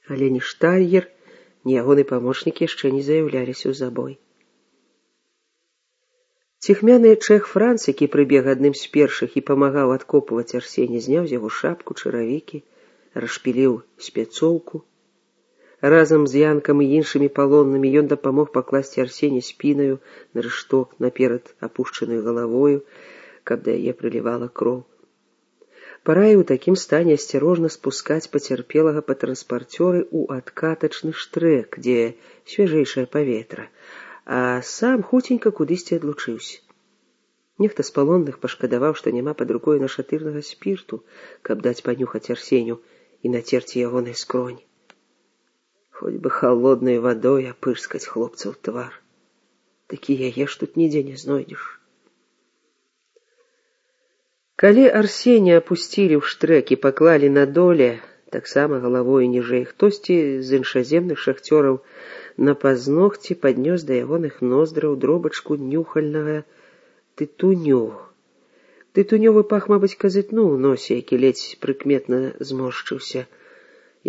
Але ні Штальер, ні ягоны памочнік яшчэ не заяўляліся ў забой. Ціхмяны чэх Франц, які прыбег адным з першых і памагаў адкопваць Арсеня, зняў з яго шапку, чаравікі, расшпіліў спецоўку. Разам з Янкам і іншымі палоннымі ён дапамог пакласці Арсеня спінаю на рышток наперад апушчанай галавою, каб да яе прылівала кроў. Параіў у такім стане асцярожна спускаць пацярпелага па транспарцёры ў адкатачны штрэк, дзе свяжэйшае паветра, а сам хуценька кудысьці адлучыўся. Нехта з палонных пашкадаваў, што няма пад рукой нашатырнага спірту, каб даць панюхаць Арсеню і нацерці ягонай скронь. Хоць бы халоднай вадой апырскаць хлопцаў твар. Такі яе ж тут нідзе не знойдзеш. Калі Арсеня апусцілі ў штрэк і паклалі на доле, таксама галавою ніжэй, хтосьці з іншаземных шахцёраў на пазногці паднёс да ягоных ноздраў дробачку нюхальнага тытуню. Тытунёвы пах, мабыць, казытнуў у носе, які ледзь прыкметна зморшчыўся.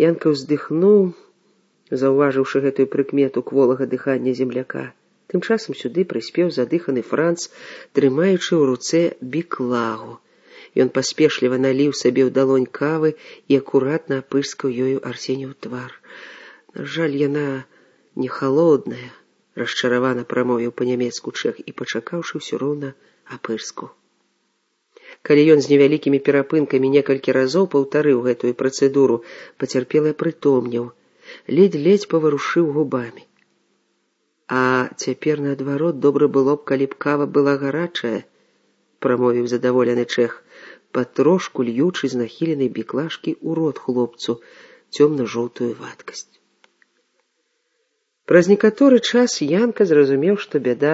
Янка ўздыхнуў, заўважыўшы гэтую прыкмету кволага дыхання земляка. Тым часам сюды прыспеў задыханы Франц, трымаючы ў руцэ біклагу. Ён паспешліва наліў сабе ў далонь кавы і акуратна апырскаў ёю Арсеню ў твар. На жаль, яна не халодная, расчаравана прамовіў па-нямецку чэх і, пачакаўшы, ўсё роўна апырскаў. Калі ён з невялікімі перапынкамі некалькі разоў паўтарыў гэтую працэдуру, пацярпелы прытомнеў, ледзь-ледзь паварушыў губамі. А цяпер, наадварот, добра было б, калі б кава была гарачая, прамовіў задаволены чэх, патрошку льючы з нахіленай біклажкі ў рот хлопцу цёмна-жоўтую вадкасць. Праз некаторы час Янка зразумеў, што бяда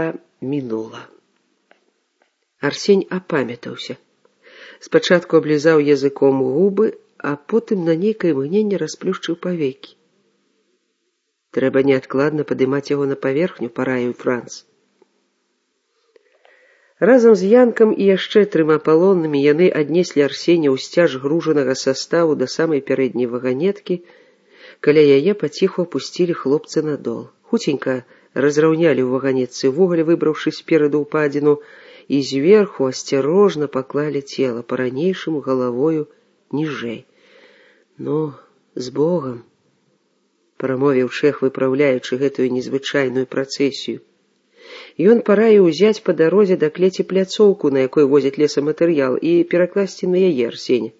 мінула. Арсень апамятаўся. Спачатку аблізаў языком губы, а потым на нейкае мгненне расплюшчыў павекі. Трэба неадкладна падымаць яго на паверхню, параіў Франц. Разам з Янкам і яшчэ 3 палоннымі яны аднеслі Арсеня ў сцяж гружанага саставу да самай пярэдняй ваганеткі, каля яе паціху апусцілі хлопцы на дол. Хуценька разраўнялі ў ваганетцы вугаль, выбраўшы спераду ўпадзіну, і зверху асцярожна паклалі цела, па-ранейшаму галавою ніжэй. Ну, з Богам, прамовіў чэх, выпраўляючы гэтую незвычайную працэсію. Ён параіў узяць па дарозе да клеці пляцоўку, на якой возяць лесаматэрыял, і перакласці на яе Арсеня.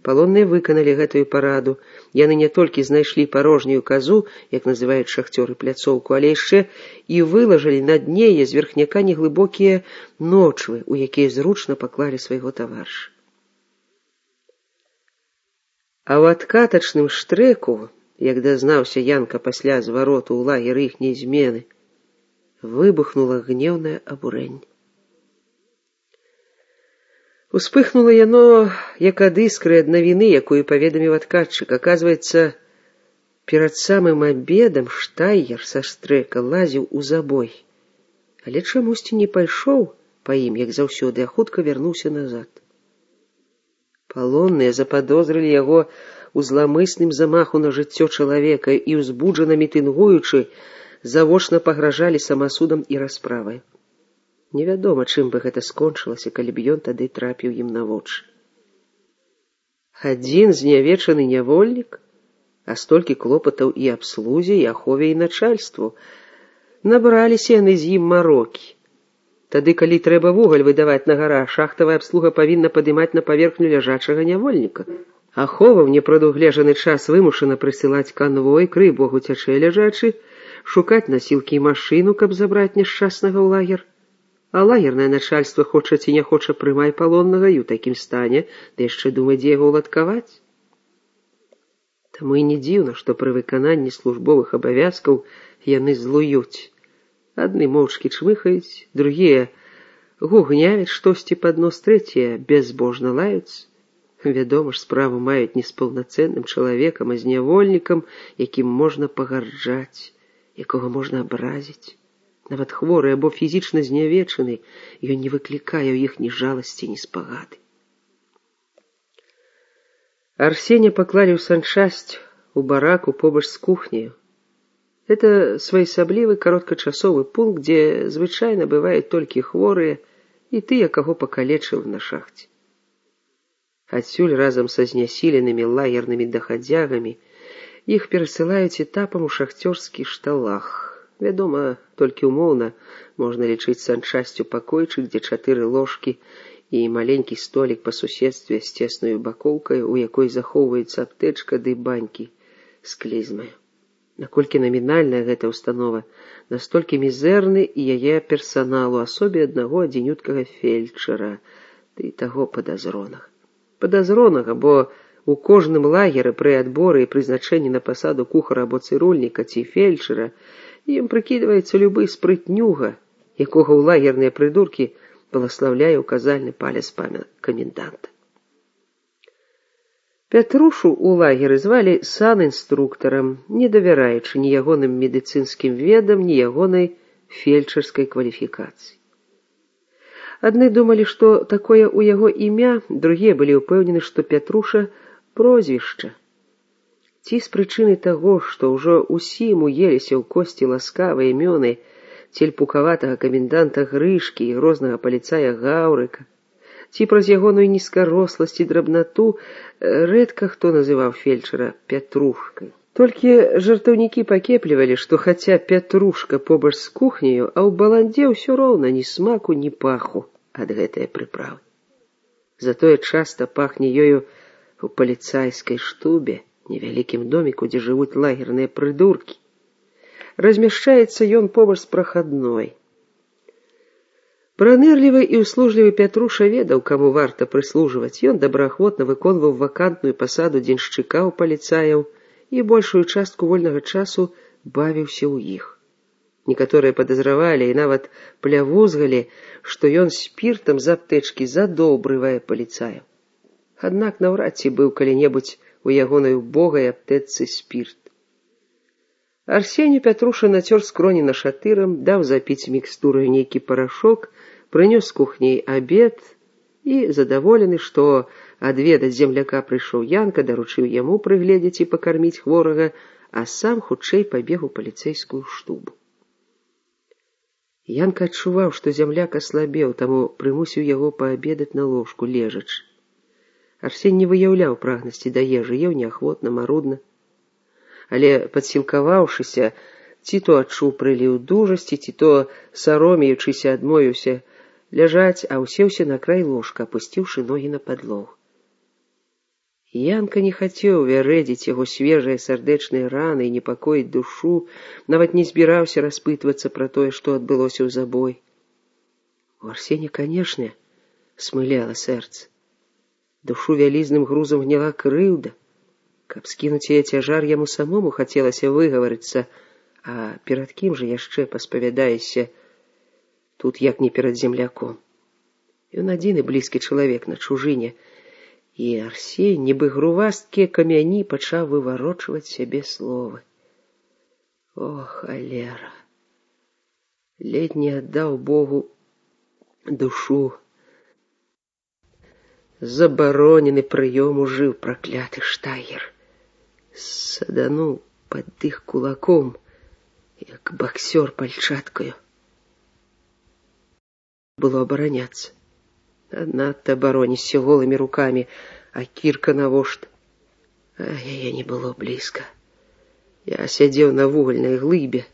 Палонныя выканалі гэтую параду. Яны не толькі знайшлі парожнюю казу, як называюць шахцёры пляцоўку, але яшчэ і вылажылі на дне яе зверхняка неглыбокія ночвы, у якія зручна паклалі свайго таварыша. А ў адкатачным штрэку, як дазнаўся Янка пасля звароту ў лагер іхняй змены, выбухнула гневнае абурэнне. Успыхнула яно, як ад іскры ад навіны, якую паведаміў адкатчык. Аказваецца, перад самым абедам Штайер са штрэка лазіў у забой, але чамусьці не пайшоў па ім, як заўсёды, а хутка вярнуўся назад. Палонныя западозрылі яго ў зламысным замаху на жыццё чалавека і, узбуджана мітынгуючы, завочна пагражалі самасудам і расправай. Невядома, чым бы гэта скончылася, калі б ён тады трапіў ім на вочы. Адзін знявечаны нявольнік, а столькі клопатаў і абслузе, і ахове, і начальству. Набраліся яны з ім марокі. Тады, калі трэба вугаль выдаваць на гара, шахтавая абслуга павінна падымаць на паверхню ляжачага нявольніка. Ахова ў непрадугледжаны час вымушана прысылаць канвой, крый бог уцячэ ляжачы, шукаць насілкі і машыну, каб забраць няшчаснага ў лагер. А лагернае начальства, хоча ці не хоча, прымай палоннага, і ў такім стане, ды яшчэ думай, дзе яго ўладкаваць. Таму і не дзіўна, што пры выкананні службовых абавязкаў яны злуюць. Адны моўчкі чмыхаюць, другія гугнявяць штосьці пад нос, трэція бязбожна лаюць. Вядома ж, справу маюць не з паўнацэнным чалавекам, а з нявольнікам, якім можна пагарджаць, якога можна абразіць. Нават хворы або фізічна знявечаны, ён не выклікае ў іх ні жаласці, ні спагады. Арсеня паклалі ў санчасць у бараку побач з кухняю. Это своеасаблівы кароткачасовы пункт, дзе звычайна бываюць толькі хворыя і тыя, каго пакалечыў на шахце. Адсюль разам са знясіленымі лагернымі дахадзягамі іх перасылаюць этапам у шахцёрскі шталах. Вядома, толькі ўмоўна можна лічыць санчасцю пакойчык, дзе 4 ложкі і маленькі столік па суседстве з цеснаю бакоўкай, у якой захоўваецца аптэчка ды банькі з клізмаю. Наколькі намінальная гэта ўстанова, настолькі мізэрны і яе персанал у асобе аднаго адзінюткага фельчара, ды таго падазронага. Падазронага, бо у кожным лагеры пры адборы і прызначэнні на пасаду кухара або цырульніка ці фельчара ім прыкідваецца любы спрытнюга, якога ў лагерныя прыдуркі благаслаўляе указальны палец каменданта. Пятрушу ў лагеры звалі санінструктарам, не давяраючы ні ягоным медыцынскім ведам, ні ягонай фельчарскай кваліфікацыі. Адны думалі, што такое ў яго імя, другія былі ўпэўнены, што Пятруша прозвішча. Ці з прычыны таго, што ўжо ўсім уеліся ў косці ласкавыя імёны цельпукаватага каменданта Грышкі і грознага паліцая Гаўрыка, ці праз ягоную нізкаросласць і драбнату рэдка хто называў фельчара Пятрушкай. Толькі жартаўнікі пакеплівалі, што хаця Пятрушка побач з кухняю, а ў баландзе ўсё роўна ні смаку, ні паху ад гэтае прыправы. Затое часта пахне ёю у паліцайскай штубе, невялікім доміку, дзе жывуць лагерныя прыдуркі. Размяшчаецца ён побач з прахадной. Пранырлівы і услужлівы Пятруша ведаў, каму варта прыслужваць. Ён добраахвотна выконваў вакантную пасаду дзеншчыка ў паліцаяў і большую частку вольнага часу бавіўся ў іх. Некаторыя падазравалі і нават плявузгалі, што ён спіртам з аптэчкі задобрывае паліцаяў. Аднак наўрад ці быў калі-небудзь у ягонай убогай аптэчцы спірт. Арсенію Пятруша нацёр скроні нашатырам, даў запіць мікстураю нейкі парашок, прынёс з кухняй абед і, задаволены, што адведаць земляка прыйшоў Янка, даручыў яму прыгледзець і пакарміць хворага, а сам хутчэй пабег у паліцэйскую штубу. Янка адчуваў, што земляк аслабеў, таму прымусіў яго паабедаць на ложку лежачы. Арсень не выяўляў прагнасці да ежы, еў неахвотна, марудна. Але, падсілкаваўшыся, ці то адчуў прыліў дужасці, ці то, саромеючыся, адмовіўся ляжаць, а ўсеўся на край ложка, апусціўшы ногі на падлогу. Янка не хацеў вярэдзіць яго свежыя сардэчныя раны і непакоіць душу, нават не збіраўся распытвацца пра тое, што адбылося ў забой. У Арсеня, канешне, смыляла сэрца. Душу вялізным грузам гняла крыўда. Каб скінуць яе цяжар, яму самому хацелася выгаварыцца, а перад кім жа яшчэ паспавядаешся тут, як не перад земляком. Ён адзіны блізкі чалавек на чужыне, і Арсень, нібы грувасткія камяні, пачаў выварочваць сябе словы. О, халера! Ледь не аддаў Богу душу. Забаронены прыём ужыў пракляты штайгер. Садануў пад іх кулаком, як баксёр пальчаткаю. Было абараняцца. Надта абаронішся голымі рукамі, а кірка навошта. А яе не было блізка. Я сядзеў на вугальнай глыбе.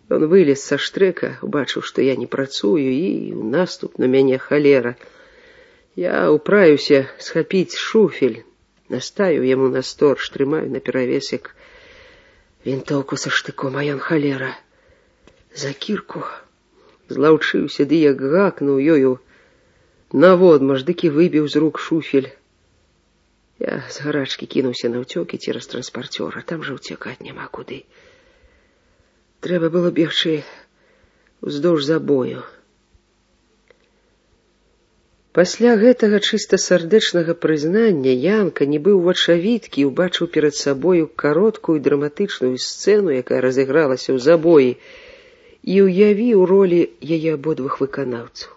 Ён вылез са штрэка, убачыў, што я не працую, і ў наступ на мяне халера. Я ўправіўся схапіць шуфель, наставіў яму на сторч, трымаю наперавес, як вінтоўку са штыком, а ён халера за кірку злаўчыўся, ды як гакнуў ёю наводмаш, дык і выбіў з рук шуфель. Я з гарачкі кінуўся на ўцёкі цераз транспарцёра, там жа ўцякаць няма куды. Трэба было бегчы уздоўж забою. Пасля гэтага чыста сардэчнага прызнання Янка, нібы ўвачавіткі, убачыў перад сабою кароткую драматычную сцэну, якая разыгралася ў забоі, і ўявіў ролі яе абодвух выканаўцаў.